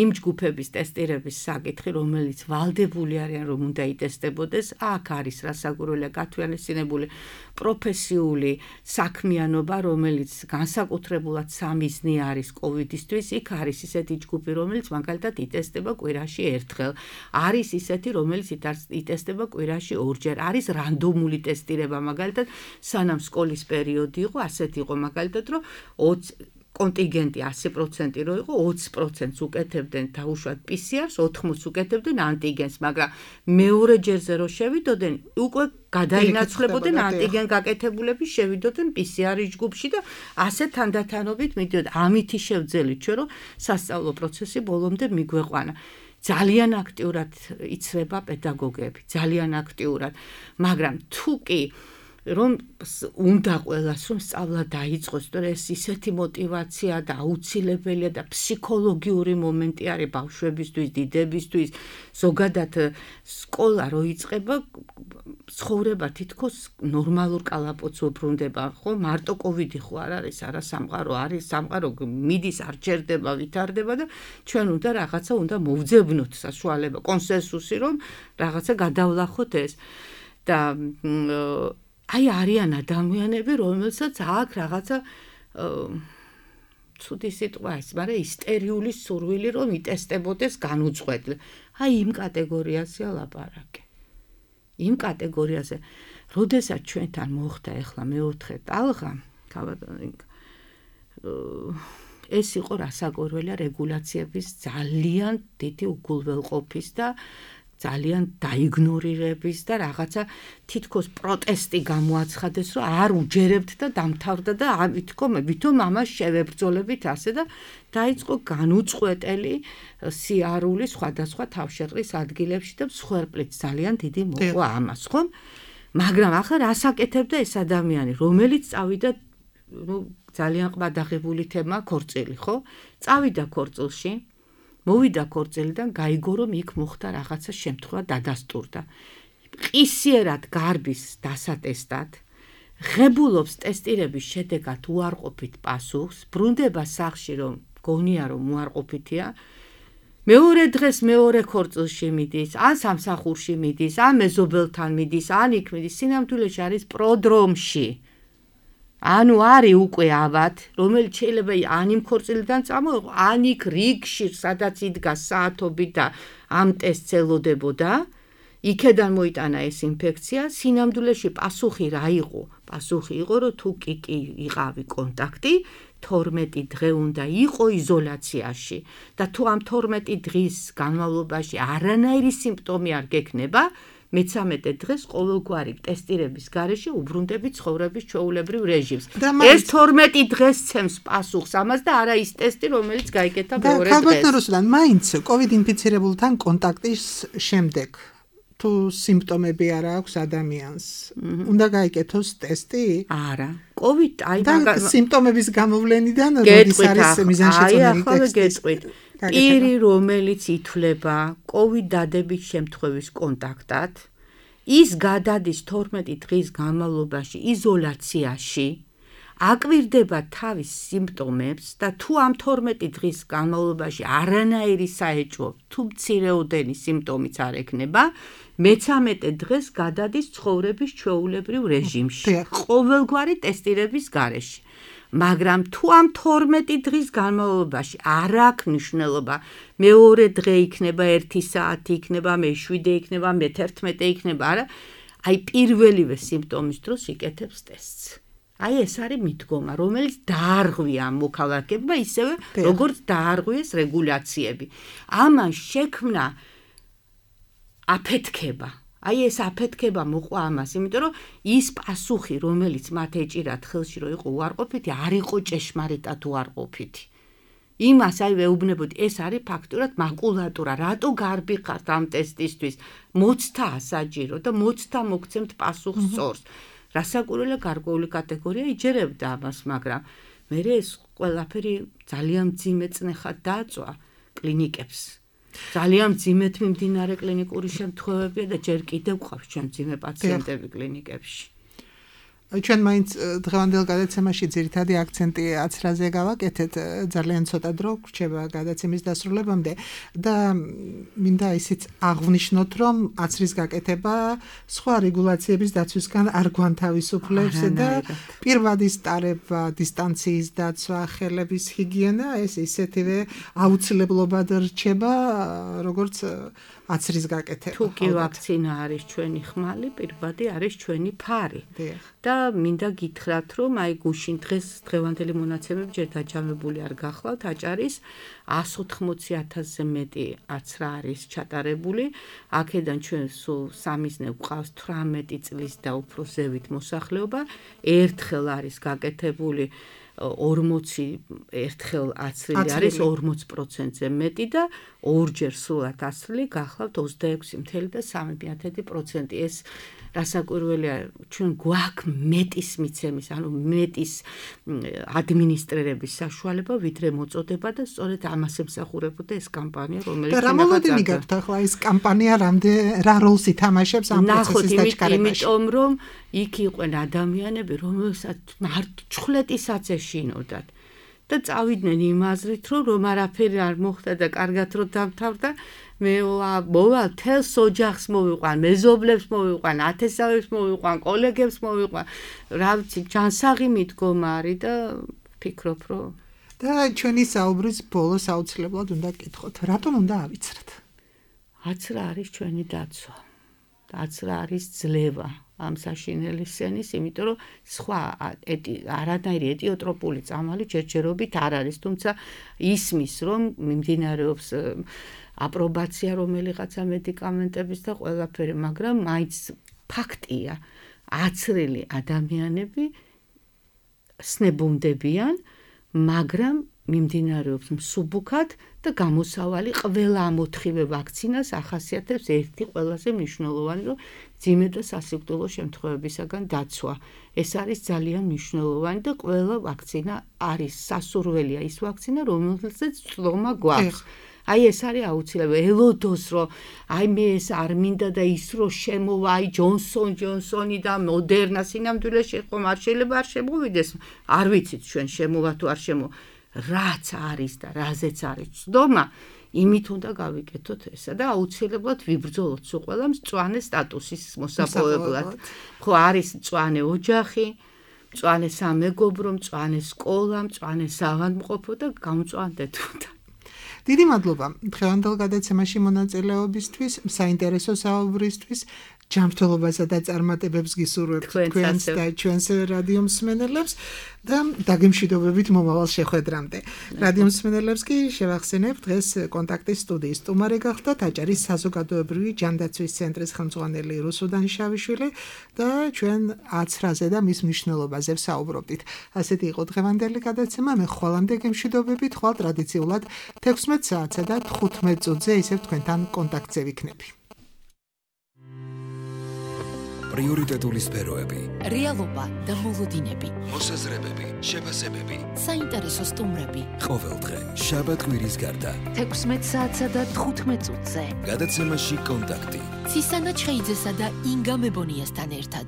იმ ჯგუფების ტესტირების საკითხი, რომელიც ვალდებული არიან, რომ უნდა იტესტებოდეს, აქ არის რასაკვირველია გათვალისწინებული პროფესიული საქმიანობა, რომელიც განსაკუთრებულად სამიზნე არის კოვიდისთვის, იქ არის ისეთი ჯგუფი, რომელიც მაგალითად იტესტება კვირაში ერთხელ, არის ისეთი, რომელიც იტესტება კვირაში ორჯერ, არის რანდომული ტესტირება, მაგალითად, სანამ სკოლის პერიოდი იყო, ასეთი იყო მაგალითად, რომ 20 კონტინგენტი 100% რო იყო 20%-ს უკეთებდნენ დაუშვათ PCR-ს, 80%-ს უკეთებდნენ ანტიგენს, მაგრამ მეორე ჯერზე რო შევიდოდნენ, უკვე გადაინაცვლებოდნენ ანტიგენ გაკეთებულები, შევიდოდნენ PCR-ის ჯგუფში და ასე თანდათანობით მიდიოდა. ამითი შევძელით ჩვენ რომ სასწავლო პროცესი ბოლომდე მიგვეყვანა. ძალიან აქტიურად იცრება პედაგოგები, ძალიან აქტიურად, მაგრამ თუ კი რომ უნდა ყველას რომ სწავლა დაიწყოს, თორე ეს ისეთი мотиваცია და აუცილებელია და ფსიქოლოგიური მომენტი არის ბავშვებისთვის, დიდებისთვის, ზოგადად სკოლა რო იწყება, ცხოვრება თითქოს ნორმალურ კალაპოტს უბრუნდება, ხო? მარტო კოვიდი ხო არ არის, არა სამყარო არის, სამყარო მიდის, არ ჩერდება, ვითარდება და ჩვენ უნდა მოვძებნოთ საშუალება, კონსენსუსი რომ რაღაცა გადავლახოთ ეს და აი არიან ადამიანები, რომელსაც აქ რაღაცა ცუდი სიტყვა ის, მაგრამ ისტერიული სურვილი რომ იტესტებოდეს განუწყვეტლი. აი იმ კატეგორიაზეა ლაპარაკი. იმ კატეგორიაზე, როდესაც ჩვენთან მოხდა ახლა მეოთხე ტალღა, ეს იყო რასაკვირველია რეგულაციების ძალიან დიდი უგულველყოფის და ძალიან დაიგნორირების და რაღაცა თითქოს პროტესტი გამოაცხადეს, რომ არ უჯერებთ და დამთავრდა და ვითომ ამას შევებრძოლებით ასე და დაიწყო განუწყვეტელი სიარული სხვადასხვა თავშეყრის ადგილებში და მსხვერპლით ძალიან დიდი მოყვა ამას, ხომ? მაგრამ ახლა რას აკეთებდა ეს ადამიანი, რომელიც წავიდა, ძალიან ყბადაღებული თემა ქორწილი, ხო? წავიდა ქორწილში, მოვიდა ქორწილიდან, გაიგო რომ იქ მოხდა რაღაცა შემთხვევა დადასტურდა. ყისიერად გარბის დასატესტად, ღებულობს ტესტირების შედეგად უარყოფით პასუხს, ბრუნდება სახლში რომ გონია რომ უარყოფითია, მეორე დღეს მეორე ქორწილში მიდის, ან სამსახურში მიდის, ან მეზობელთან მიდის, ან იქ მიდის, სინამდვილეში არის პროდრომში. ანუ არის უკვე ავად, რომელიც შეიძლება ან იმ ქორწილიდან წამოიღო, ან იქ რიგში, სადაც იდგა საათობით და ამ ტესტს ელოდებოდა, იქედან მოიტანა ეს ინფექცია, სინამდვილეში პასუხი რა იყო? პასუხი იყო, რომ თუ კი იყავი კონტაქტი, 12 დღე უნდა იყო იზოლაციაში და თუ ამ 12 დღის განმავლობაში არანაირი სიმპტომი არ გექნება, მე-13 დღეს ყოველგვარი ტესტირების გარეშე უბრუნდები ცხოვრების ჩვეულებრივ რეჟიმს. ეს 12 დღეს ცემს პასუხს ამას და არა ის ტესტი, რომელიც გაიკეთა მეორე დღეს. და ქალბატონოსთან მაინც COVID ინფიცირებულთან კონტაქტის შემდეგ თუ სიმპტომები არ აქვს ადამიანს, უნდა გაიკეთოს ტესტი? არა. COVID აი და სიმპტომების გამოვლენიდან როდის არის მიზანშეწონილი ტესტი? პირი, რომელიც ითვლება COVID დადებით შემთხვევის კონტაქტად, ის გადადის 12 დღის განმავლობაში იზოლაციაში, აკვირდება თავის სიმპტომებს და თუ ამ 12 დღის განმავლობაში არანაირი საეჭვო თუ მცირეოდენი სიმპტომიც არ ექნება, მე-13 დღეს გადადის ცხოვრების ჩვეულებრივ რეჟიმში, ყოველგვარი ტესტირების გარეშე. მაგრამ თუ ამ 12 დღის განმავლობაში არ აქვს მნიშვნელობა, მეორე დღე იქნება 1 საათი, იქნება მე 7 იქნება, მე 11 იქნება, არა, აი პირველივე სიმპტომის დროს იკეთებს ტესტს. აი ეს არის მიდგომა, რომელიც დაარღვია ამ მოქალაქეებმა, ისევე როგორც დაარღვიეს რეგულაციები. ამან შექმნა აფეთქება. აი ეს აფეთქება მოყვა ამას, იმიტომ რომ ის პასუხი, რომელიც მათ ეჭირათ ხელში, რომ იყო უარყოფითი, არ იყო ჭეშმარიტად უარყოფითი. იმას აი ვეუბნებოდი, ეს არის ფაქტურად მაკულატურა, რატო გარბიხართ ამ ტესტისთვის, მოცდა საჭირო და მოცდა მოგცემთ პასუხს სწორს. რასაკვირველია, გარკვეული კატეგორია იჯერებდა ამას, მაგრამ მე ეს ყველაფერი ძალიან მძიმე წნეხად დააწვა კლინიკებს. ძალიან მძიმედ მიმდინარე კლინიკური შემთხვევებია და ჯერ კიდევ გვყავს ჩვენ მძიმე პაციენტები კლინიკებში. ჩვენ მაინც დღევანდელ გადაცემაში ძირითადი აქცენტი აცრაზე გავაკეთეთ, ძალიან ცოტა დრო გრჩება გადაცემის დასრულებამდე და მინდა ისიც აღვნიშნოთ, რომ აცრის გაკეთება სხვა რეგულაციების დაცვისგან არ გვანთავისუფლებს და პირვადის ტარება, დისტანციის დაცვა, ხელების ჰიგიენა ეს ისეთივე აუცილებლობად რჩება, როგორც აცრის გაკეთება. თუ კი ვაქცინა არის ჩვენი ხმალი, პირვადი არის ჩვენი ფარი. და მინდა გითხრათ, რომ აი გუშინ დღევანდელი მონაცემები ჯერ დაჯამებული არ გახლავთ, აჭარის 180,000-ზე მეტი აცრა არის ჩატარებული. აქედან ჩვენ სულ სამიზნე გვყავს 18 წლის და უფრო ზევით მოსახლეობა. ერთხელ არის გაკეთებული 40 ერთხელ აცრილი არის 40%-ზე მეტი და ორჯერ სრულად აცრილი გახლავთ 26.3%. ეს რასაკვირველია, ჩვენ გვაქვს მეტის მიცემის, ანუ მეტის ადმინისტრირების საშუალება, ვიდრე მოწოდება და სწორედ ამას ემსახურებოდა ეს კამპანია, რომელიც და რა მოლოდინი გაქვთ ახლა ეს კამპანია რა როლს ითამაშებს ამ პროცესის დაჩქარებაში? იმიტომ რომ იქ იყვნენ ადამიანები, რომელსაც ჩხლეტისაც ეშინოდათ და წავიდნენ იმ აზრით, რომ არაფერი არ მოხდა და კარგად რომ დამთავრდა, მე მოვალ თელს ოჯახს მოვიყვან, მეზობლებს მოვიყვან, ათესავებს მოვიყვან, კოლეგებს მოვიყვან, რა ვიცი, ჯანსაღი მიდგომა არის და ფიქრობ, რომ და ჩვენი საუბრის ბოლოს აუცილებლად უნდა გკითხოთ, რატომ უნდა ავიცრათ? აცრა არის ჩვენი დაცვა. აცრა არის ძლევა ამ საშინელი სენის, იმიტომ რომ სხვა არანაირი ეტიოტროპული წამალი ჯერჯერობით არ არის, თუმცა ისმის, რომ მიმდინარეობს აპრობაცია რომელიღაცა მედიკამენტების და ყველაფერი, მაგრამ მაინც ფაქტია, აცრილი ადამიანები სნებუნდებიან, მაგრამ მიმდინარეობს მსუბუქად და გამოსავალი ყველა ამოთხივე ვაქცინას ახასიათებს ერთი ყველაზე მნიშვნელოვანი, რომ ძიმე და სასიკვდილო შემთხვევებისაგან დაცვა. ეს არის ძალიან მნიშვნელოვანი და ყველა ვაქცინა არის სასურველია ის ვაქცინა, რომელსაც წლომა გვაქვს. აი ეს არის აუცილებელი. ელოდოს რომ აი მე ეს არ მინდა და ის რომ შემოვა აი ჯონსონი და მოდერნა სინამდვილეში ხომ არ შეიძლება არ შემოვიდეს. არ ვიცით ჩვენ შემოვა თუ არ შემოვა. რაც არის და რაზეც არის ცდომა, იმით უნდა გავიკეთოთ ესა და აუცილებლად ვიბრძოლოთ სულ ყველა მწვანე სტატუსის მოსაპოვებლად. ხო არის მწვანე ოჯახი, მწვანე სამეგობრო, მწვანე სკოლა, მწვანე სავანმყოფო და გამწვანდეთ უნდა. დიდი მადლობა დღევანდელ გადაცემაში მონაწილეობისთვის, საინტერესო საუბრისთვის, ჯანმრთელობასა და წარმატებებს გისურვებთ თქვენს და ჩვენს რადიო მსმენელებს და დაგემშვიდობებით მომავალ შეხვედრამდე. რადიო მსმენელებს კი შევახსენებ, დღეს კონტაქტის სტუდიის სტუმარი გახლდათ აჭარის საზოგადოებრივი ჯანდაცვის ცენტრის ხელმძღვანელი რუსუდან დანშაუშვილი და ჩვენ აცრაზე და მის მნიშვნელობაზე ვსაუბრობდით. ასეთი იყო დღევანდელი გადაცემა. მე ხვალამდე გემშვიდობებით, ხვალ ტრადიციულად 16 საათსა და 15 წუთზე ისევ თქვენთან კონტაქტზე ვიქნები. პრიორიტეტული სფეროები, რეალობა და მოლოდინები, მოსაზრებები, შეფასებები, საინტერესო სტუმრები. ყოველდღე შაბათ-კვირის გარდა 16 საათსა და 15 წუთზე. გადაცემაში კონტაქტი. ცისანა ჩხეიძესა და ინგა მებონიასთან ერთად.